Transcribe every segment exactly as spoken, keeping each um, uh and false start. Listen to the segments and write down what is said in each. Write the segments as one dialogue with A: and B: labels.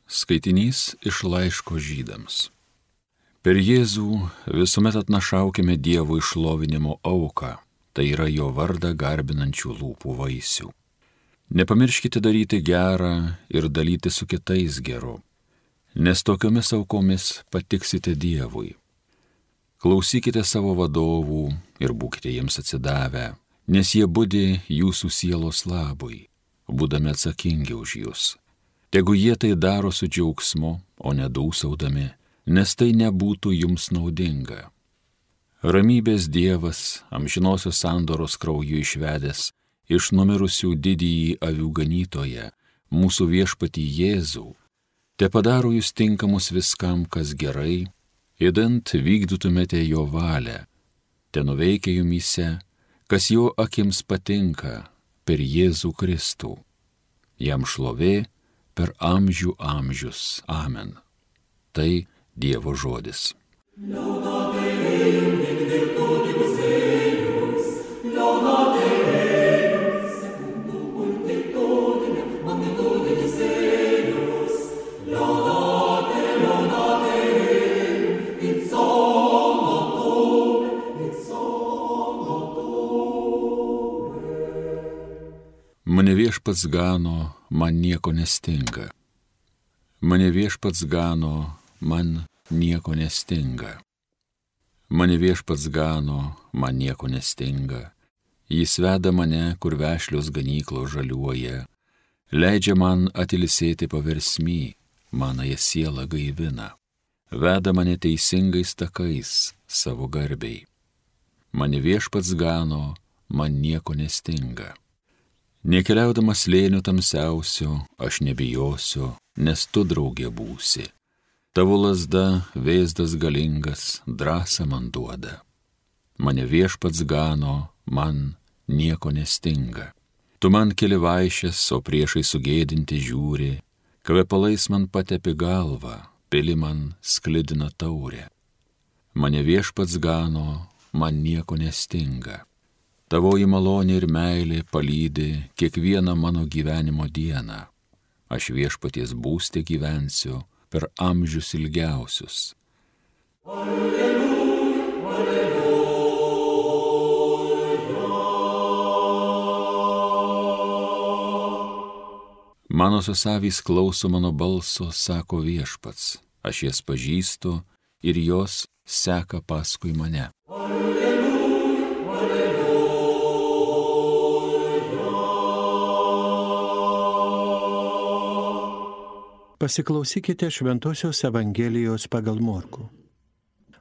A: Skaitinys iš laiško Žydams. Per Jėzų visuomet atnašaukime Dievo išlovinimo auką, tai yra jo vardą garbinančių lūpų vaisių. Nepamirškite daryti gerą ir dalyti su kitais geru, nes tokiomis aukomis patiksite Dievui. Klausykite savo vadovų ir būkite jiems atsidavę, nes jie budi jūsų sielos labui, būdami atsakingi už jūs. Tegu jie tai daro su džiaugsmu, o ne dūsaudami, nes tai nebūtų jums naudinga. Ramybės Dievas, amžinosios sandoros krauju išvedęs iš numirusių didįjį avių ganytoją, mūsų viešpatį Jėzų, te padaro jūs tinkamus viskam, kas gerai, idant vykdytumėte jo valią, te nuveikia jumyse, kas jo akims patinka, per Jėzų Kristų. Jam šlovė per amžių amžius. Amen. Tai Dievo žodis. Mane viešpats gano, man nieko nestinga. Mane viešpats gano, man nieko nestinga. Mane viešpats gano, man nieko nestinga. Jis veda mane, kur vešlios ganyklos žaliuoja, leidžia man atilsėti paversmy, manąją sielą gaivina. Veda mane teisingais takais savo garbiai. Mane viešpats gano, man nieko nestinga. Nekeliaudamas slėniu tamsiausio, aš nebijosiu, nes tu draugė būsi. Tavo lazda, vėzdas galingas, drąsą man duoda. Mane viešpats gano, man nieko nestinga. Tu man keli vaišes, o priešai sugėdinti žiūri, kvepalais man patepi galvą, pili man sklidina taurę. Mane viešpats gano, man nieko nestinga. Tavoji malonė ir meilė palydi kiekvieną mano gyvenimo dieną. Aš viešpaties būste gyvensiu per amžius ilgiausius. Alleluja, alleluja. Mano susavys klauso mano balso, sako viešpats. Aš jas pažįstu ir jos seka paskui mane.
B: Pasiklausykite Šventosios Evangelijos pagal Morkų.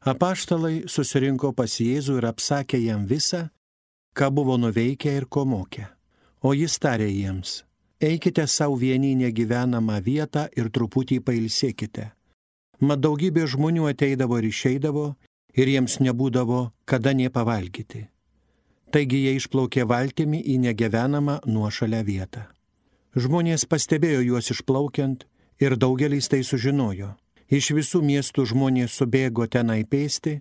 B: Apaštalai susirinko pas Jėzų ir apsakė jam visą, ką buvo nuveikę ir ko mokė. O jis tarė jiems: eikite savo vieni negyvenamą vietą ir truputį pailsėkite. Mat daugybė žmonių ateidavo ir išeidavo, ir jiems nebūdavo kada nė pavalgyti. Taigi jie išplaukė valtimi į negyvenamą nuošalę vietą. Žmonės pastebėjo juos išplaukiant, ir daugelis tai sužinojo. Iš visų miestų žmonės subėgo tenai pėsti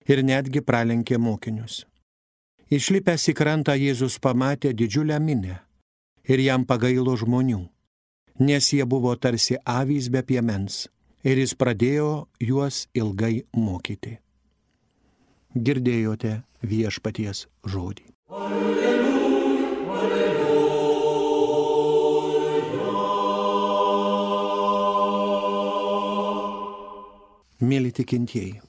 B: ir netgi pralenkė mokinius. Išlipęs į krantą Jėzus pamatė didžiulę minią ir jam pagailo žmonių, nes jie buvo tarsi avys be piemens, ir jis pradėjo juos ilgai mokyti. Girdėjote viešpaties žodį. Alleluja, alleluja. Mėly tikintieji,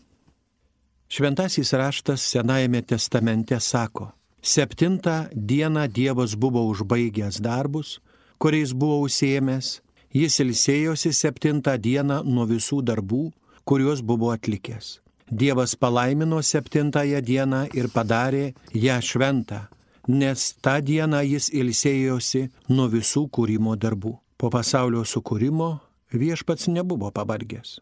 B: Šventasis raštas Senajame testamente sako: septintą dieną Dievas buvo užbaigęs darbus, kuriais buvo užsiėmęs, jis ilsėjosi septintą dieną nuo visų darbų, kuriuos buvo atlikęs. Dievas palaimino septintąją dieną ir padarė ją šventą, nes tą dieną jis ilsėjosi nuo visų kūrimo darbų. Po pasaulio sukūrimo viešpats nebuvo pavargęs.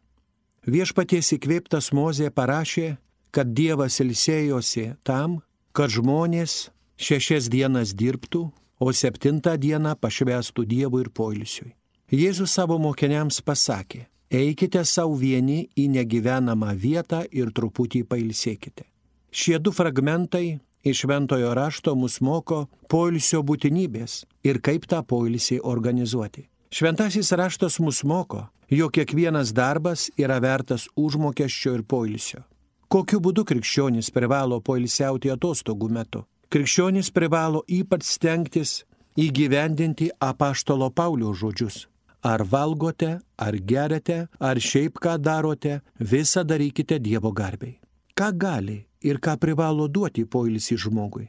B: Viešpaties įkvėptas Mozė parašė, kad Dievas ilsėjosi tam, kad žmonės šešias dienas dirbtų, o septintą dieną pašvęstų Dievui ir poilsiui. Jėzus savo mokiniams pasakė: eikite savo vieni į negyvenamą vietą ir truputį pailsėkite. Šie du fragmentai iš Šventojo rašto mus moko poilsio būtinybės ir kaip tą poilsį organizuoti. Šventasis raštas mus moko, jog kiekvienas darbas yra vertas užmokesčio ir poilsio. Kokiu būdu krikščionis privalo poilsiauti atostogų metu? Krikščionis privalo ypač stengtis įgyvendinti apaštalo Pauliaus žodžius. Ar valgote, ar geriate, ar šiaip ką darote, visą darykite Dievo garbei. Ką gali ir ką privalo duoti poilsį žmogui?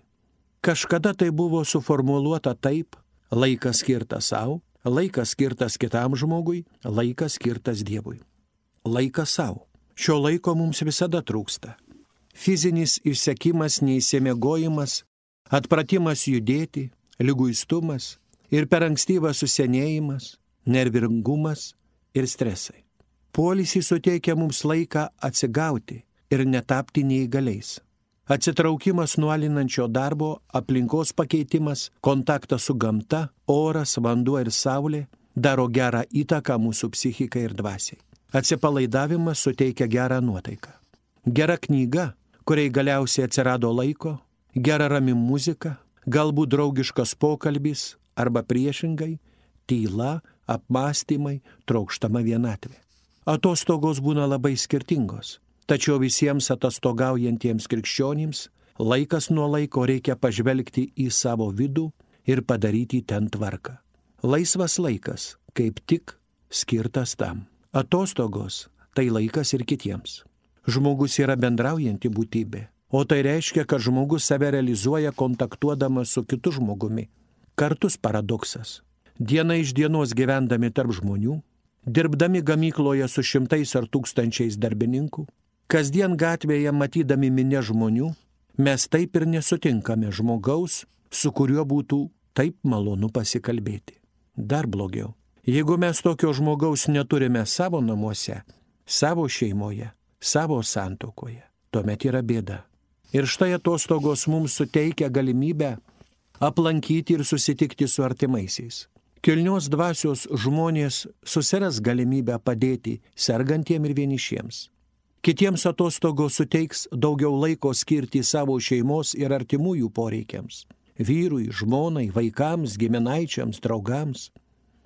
B: Kažkada tai buvo suformuluota taip: laikas skirtas savo, laikas skirtas kitam žmogui, laikas skirtas Dievui. Laikas savo. Šio laiko mums visada trūksta. Fizinis išsekimas, neįsimiegojimas, atpratimas judėti, liguistumas ir per ankstyvas susenėjimas, nervingumas ir stresai. Poilsį suteikia mums laiką atsigauti ir netapti neįgaliais. Atsitraukimas nuo alinančio darbo, aplinkos pakeitimas, kontaktas su gamta, oras, vanduo ir saulė daro gerą įtaką mūsų psichikai ir dvasiai. Atsipalaidavimas suteikia gerą nuotaiką. Gera knyga, kuriai galiausiai atsirado laiko, gera rami muzika, galbūt draugiškas pokalbis arba priešingai, tyla, apmąstymai, trokštama vienatvė. Atostogos būna labai skirtingos, tačiau visiems atostogaujantiems krikščionims laikas nuo laiko reikia pažvelgti į savo vidų ir padaryti ten tvarką. Laisvas laikas kaip tik skirtas tam. Atostogos tai laikas ir kitiems. Žmogus yra bendraujanti būtybė, o tai reiškia, kad žmogus save realizuoja kontaktuodamas su kitu žmogumi. Kartus paradoksas. Diena iš dienos gyvendami tarp žmonių, dirbdami gamykloje su šimtais ar tūkstančiais darbininkų, kasdien gatvėje matydami minia žmonių, mes taip ir nesutinkame žmogaus, su kuriuo būtų taip malonu pasikalbėti. Dar blogiau. Jeigu mes tokio žmogaus neturime savo namuose, savo šeimoje, savo santuokoje, tuomet yra bėda. Ir štai atostogos mums suteikia galimybę aplankyti ir susitikti su artimaisiais. Kilnios dvasios žmonės susiras galimybę padėti sergantiem ir vienišiems. Kitiems atostogos suteiks daugiau laiko skirti savo šeimos ir artimųjų poreikiams. Vyrui, žmonai, vaikams, giminaičiams, draugams.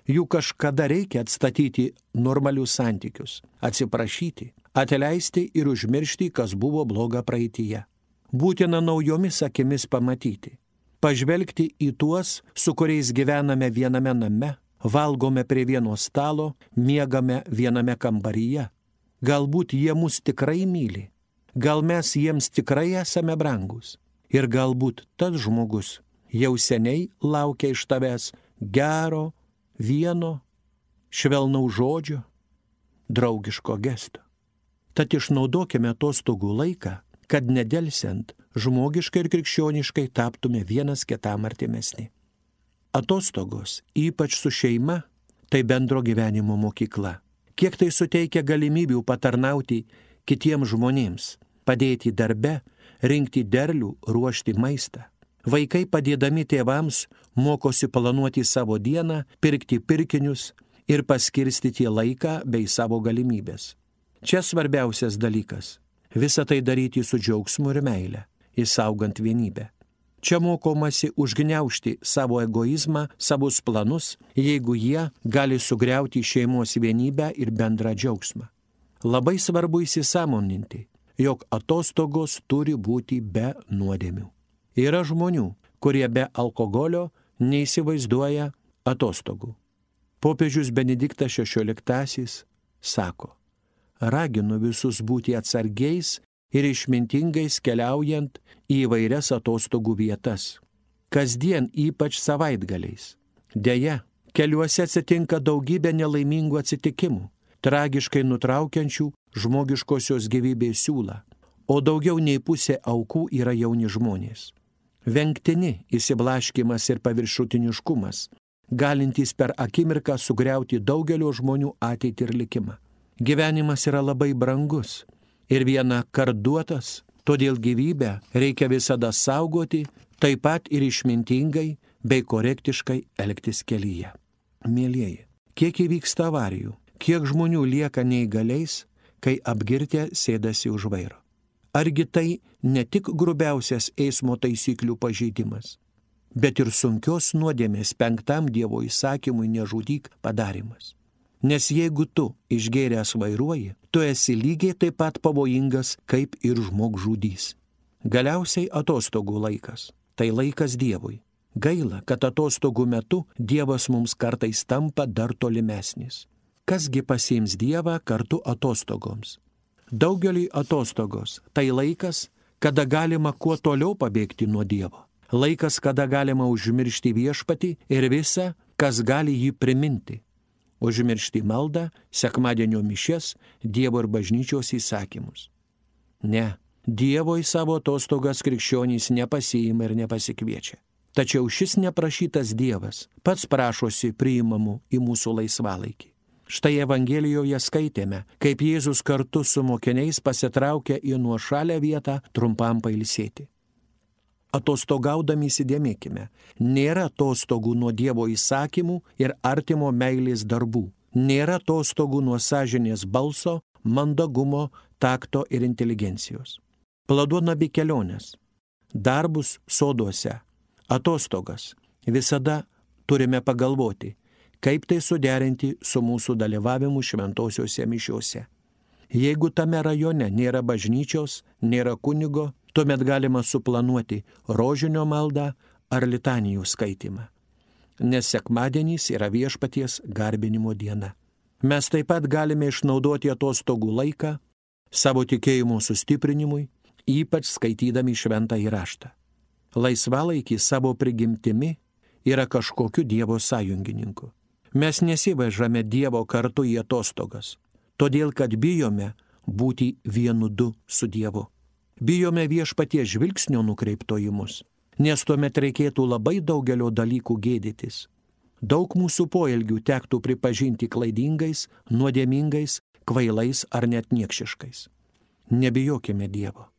B: Jų kažkada reikia atstatyti normalius santykius, atsiprašyti, atleisti ir užmiršti, kas buvo bloga praeityje. Būtina naujomis akimis pamatyti, pažvelgti į tuos, su kuriais gyvename viename name, valgome prie vieno stalo, miegame viename kambaryje. Galbūt jie mus tikrai myli, gal mes jiems tikrai esame brangus ir galbūt tas žmogus jau seniai laukia iš tavęs gero, vieno, švelnaus žodžio, draugiško gesto. Tad išnaudokime atostogų laiką, kad nedelsiant žmogiškai ir krikščioniškai taptume vienas kitam artimesni. Atostogos, ypač su šeima, tai bendro gyvenimo mokykla. Kiek tai suteikia galimybių patarnauti kitiems žmonėms, padėti darbe, rinkti derlių, ruošti maistą. Vaikai padėdami tėvams mokosi planuoti savo dieną, pirkti pirkinius ir paskirstyti laiką bei savo galimybės. Čia svarbiausias dalykas – visą tai daryti su džiaugsmu ir meile, išsaugant vienybę. Čia mokomasi užgniaužti savo egoizmą, savus planus, jeigu jie gali sugriauti šeimos vienybę ir bendrą džiaugsmą. Labai svarbu įsisąmoninti, jog atostogos turi būti be nuodėmių. Yra žmonių, kurie be alkoholio neįsivaizduoja atostogų. Popiežius Benediktas šešioliktasis sako: raginu visus būti atsargiais ir išmintingais keliaujant į įvairias atostogų vietas. Kasdien, ypač savaitgaliais. Deja, keliuose atsitinka daugybė nelaimingų atsitikimų, tragiškai nutraukiančių žmogiškosios gyvybės siūlą, o daugiau nei pusė aukų yra jauni žmonės. Vengtini įsiblaškimas ir paviršutiniškumas, galintys per akimirką sugriauti daugelio žmonių ateitį ir likimą. Gyvenimas yra labai brangus ir viena kart duotas, todėl gyvybę reikia visada saugoti, taip pat ir išmintingai bei korektiškai elgtis kelyje. Mielieji, kiek įvyksta avarijų, kiek žmonių lieka neįgaliais, kai apgirtę sėdasi už vairo. Argi tai ne tik grubiausias eismo taisyklių pažeidimas, bet ir sunkios nuodėmės penktam Dievo įsakymui nežudyk padarimas. Nes jeigu tu išgėręs vairuoji, tu esi lygiai taip pat pavojingas kaip ir žmogžudys. Galiausiai atostogų laikas. Tai laikas Dievui. Gaila, kad atostogų metu Dievas mums kartais tampa dar tolimesnis. Kasgi pasiims Dievą kartu atostogoms? Daugeliui atostogos tai laikas, kada galima kuo toliau pabėgti nuo Dievo. Laikas, kada galima užmiršti viešpatį ir visą, kas gali jį priminti. Užmiršti maldą, sekmadienio mišias, Dievo ir bažnyčios įsakymus. Ne, Dievo į savo atostogas krikščionys nepasiima ir nepasikviečia. Tačiau šis neprašytas Dievas pats prašosi priimamų į mūsų laisvalaikį. Štai Evangelijoje skaitėme, kaip Jėzus kartu su mokiniais pasitraukia į nuošalę vietą trumpam pailsėti. Atostogaudami įsidėmėkime, nėra atostogų nuo Dievo įsakymų ir artimo meilės darbų. Nėra atostogų nuo sąžinės balso, mandagumo, takto ir inteligencijos. Planuodami abi keliones, darbus soduose, atostogas, visada turime pagalvoti, kaip tai suderinti su mūsų dalyvavimu šventosiuose mišiuose. Jeigu tame rajone nėra bažnyčios, nėra kunigo, tuomet galima suplanuoti rožinio maldą ar litanijų skaitimą. Nes sekmadienis yra viešpaties garbinimo diena. Mes taip pat galime išnaudoti atostogų laiką savo tikėjimo sustiprinimui, ypač skaitydami šventąjį raštą. Laisvalaikis savo prigimtimi yra kažkokiu Dievo sąjungininku. Mes nesivežame Dievo kartu į atostogas, todėl kad bijome būti vienu du su Dievu. Bijome viešpaties žvilgsnio nukreipto į mus, nes tuomet reikėtų labai daugelio dalykų gėdytis. Daug mūsų poelgių tektų pripažinti klaidingais, nuodėmingais, kvailais ar net niekšiškais. Nebijokime Dievo.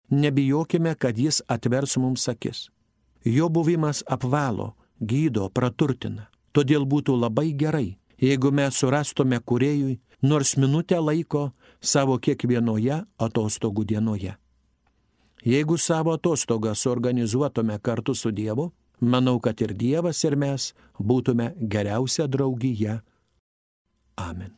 B: Nebijokime, kad Jis atvers mums akis. Jo buvimas apvalo, gydo, praturtina. Todėl būtų labai gerai, jeigu mes surastume kūrėjui nors minutę laiko savo kiekvienoje atostogų dienoje. Jeigu savo atostogą suorganizuotume kartu su Dievu, manau, kad ir Dievas ir mes būtume geriausia draugija. Amen.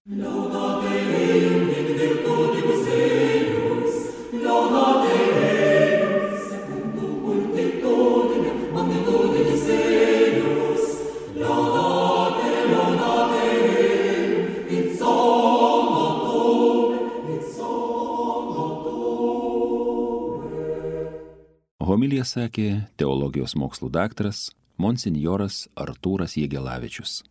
C: Homiliją sakė teologijos mokslų daktaras monsinjoras Artūras Jegelavičius.